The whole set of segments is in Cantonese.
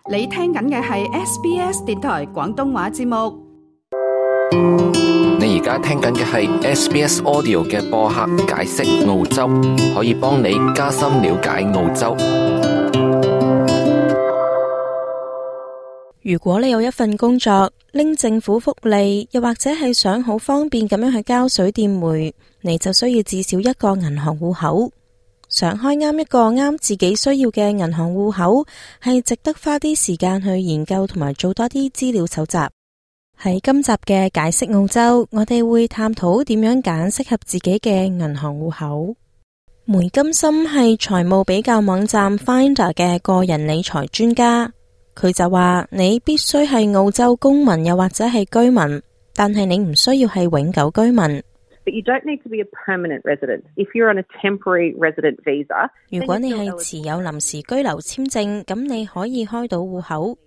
你聽緊嘅係 SBS 電台廣東話節目。你而家聽緊嘅係 SBS Audio 嘅播客解釋澳洲，可以幫你加深了解澳洲。如果你有一份工作，拎政府福利，又或者係想好方便咁樣去交水電煤，你就需要至少一個銀行戶口。想開啱一個啱自己需要嘅銀行戶口，係值得花啲時間去研究同埋做多啲資料搜集。喺今集嘅解釋澳洲，我哋會探討點樣揀適合自己嘅銀行戶口。梅金森係財務比較網站 Finder 嘅個人理財專家，佢就話你必須係澳洲公民又或者係居民，但係你唔需要係永久居民。But you don't need to be a permanent resident. If you're on a temporary resident visa, 如果你係持有臨時居留簽證，咁你可以開到戶口，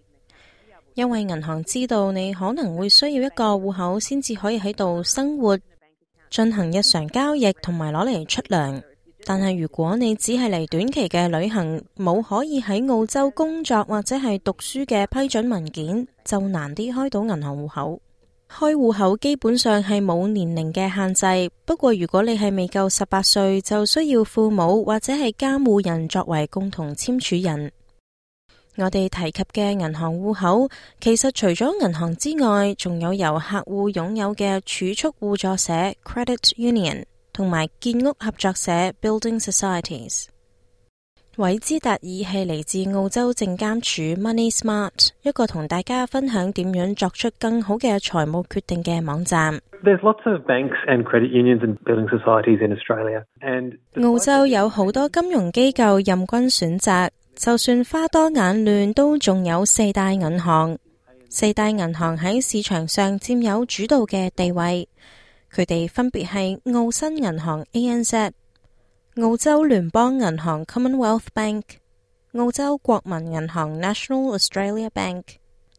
因為銀行知道你可能會需要一個戶口先至可以喺度生活、進行日常交易同埋攞嚟出糧。但係如果你只係嚟短期嘅旅行，冇可以喺澳洲工作或者係讀書嘅批准文件，就難啲開到銀行戶口。開戶口基本上係冇年齡嘅限制，不過如果你係未夠18歲，就需要父母或者係監護人作為共同簽署人。我哋提及嘅銀行戶口，其實除咗銀行之外，仲有由客戶擁有嘅儲蓄互助社 Credit Union 同埋建屋合作社 Building Societies。韋茲達爾係嚟自澳洲證監署 Money Smart， 一個同大家分享點樣作出更好嘅財務決定嘅網站。There's lots of banks and credit unions and building societies in Australia. And 澳洲有好多金融機構任君選擇，就算花多眼亂，都仲有4大銀行。4大銀行喺市場上佔有主導嘅地位，佢哋分別係澳新銀行 ANZ、澳洲聯邦銀行 Commonwealth Bank、澳洲國民銀行 National Australia Bank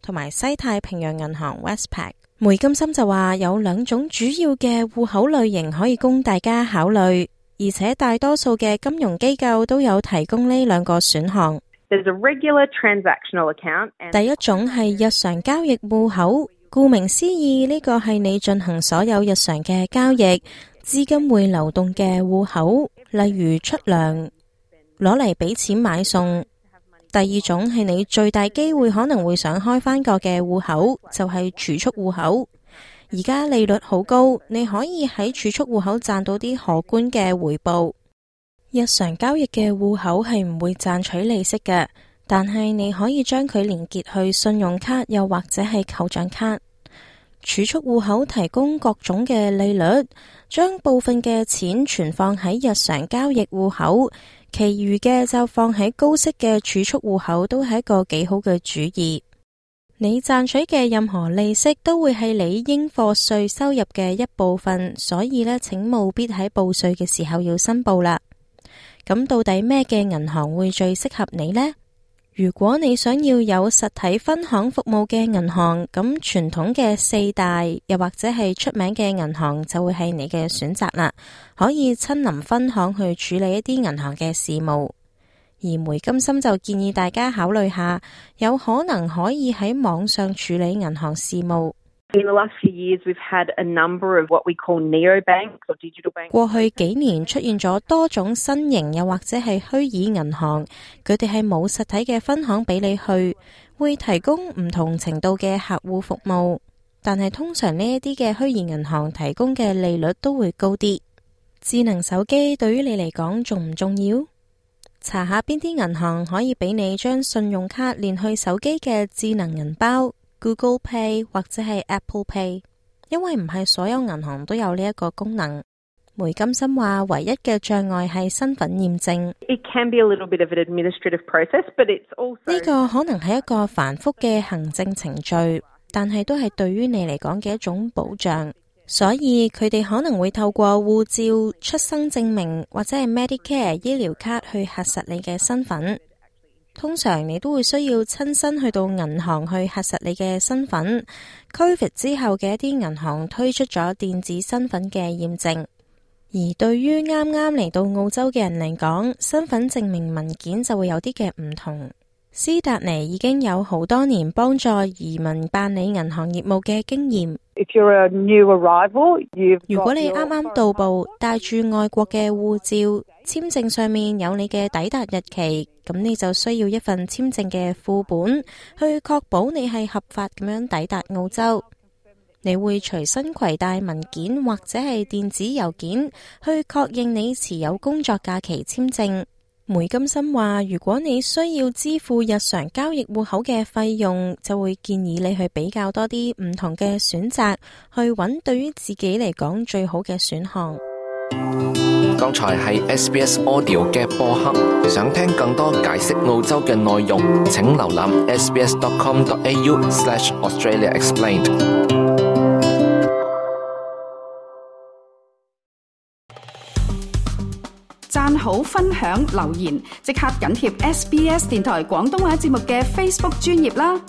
同埋西太平洋銀行 Westpac。梅金森就話有2種主要嘅戶口類型可以供大家考慮，而且大多數嘅金融機構都有提供呢2個選項。There's a regular transactional account. 第一種係日常交易戶口，顧名思義，呢個係你進行所有日常嘅交易，資金會流動嘅戶口，例如出糧，攞嚟俾錢買餸。第二種係你最大機會可能會想開返個嘅戶口，就係儲蓄戶口。而家利率好高，你可以喺儲蓄戶口賺到啲可觀嘅回報。日常交易嘅戶口係唔會賺取利息嘅，但係你可以將佢連結去信用卡又或者係扣賬卡。儲蓄戶口提供各種嘅利率，將部分嘅錢存放喺日常交易戶口，其餘嘅就放喺高息嘅儲蓄戶口，都係一個幾好嘅主意。你賺取嘅任何利息都會係你應課稅收入嘅一部分，所以呢，請務必喺報稅嘅時候要申報啦。咁到底咩嘅銀行會最適合你呢？如果你想要有實體分行服務嘅銀行，咁傳統嘅4大又或者係出名嘅銀行就會係你嘅選擇啦，可以親臨分行去處理一啲銀行嘅事務。而梅金森就建議大家考慮下，有可能可以喺網上處理銀行事務。In the last few years, we've had a number of what we call neobanks or digital banks. 過去幾年出現咗多種新型又或者係虛擬銀行，佢哋係冇實體嘅分行俾你去，會提供唔同程度嘅客戶服務，但係通常呢一啲嘅虛擬銀行提供嘅利率都會高啲。智能手機對於你嚟講重唔重要？查下邊啲銀行可以俾你將信用卡連去手機嘅智能銀包Google Pay 或者係 Apple Pay， 因為唔係所有銀行都有呢一個功能。梅金森話唯一嘅障礙係身份驗證。It can be a little bit of an administrative process, but it's also 呢個可能係一個繁複嘅行政程序，但係都係對於你嚟講嘅一種保障。所以佢哋可能會透過護照、出生證明或者係 Medicare 醫療卡去核實你嘅身份。通常你都會需要親身去到銀行去核實你嘅身份。COVID 之後嘅一啲銀行推出咗電子身份嘅驗證，而對於啱啱嚟到澳洲嘅人嚟講，身份證明文件就會有啲嘅唔同。斯達尼已經有好多年幫助移民辦理銀行業務嘅經驗。If you're a new arrival,如果你啱啱到埗，帶住外國嘅護照，簽證上面有你嘅抵達日期，咁你就需要一份簽證嘅副本，去確保你係合法咁樣抵達澳洲。你會隨身攜帶文件或者係電子郵件，去確認你持有工作假期簽證。梅金森話，如果你需要支付日常交易戶口嘅費用，就會建議你去比較多啲唔同嘅選擇，去揾對於自己嚟講最好嘅選項。剛才係 SBS Audio 嘅播客，想聽更多解釋澳洲嘅內容，請瀏覽 sbs.com.au/Australia Explained。讚好、分享、留言，即刻緊貼SBS 電台廣東話節目嘅 Facebook 專頁啦！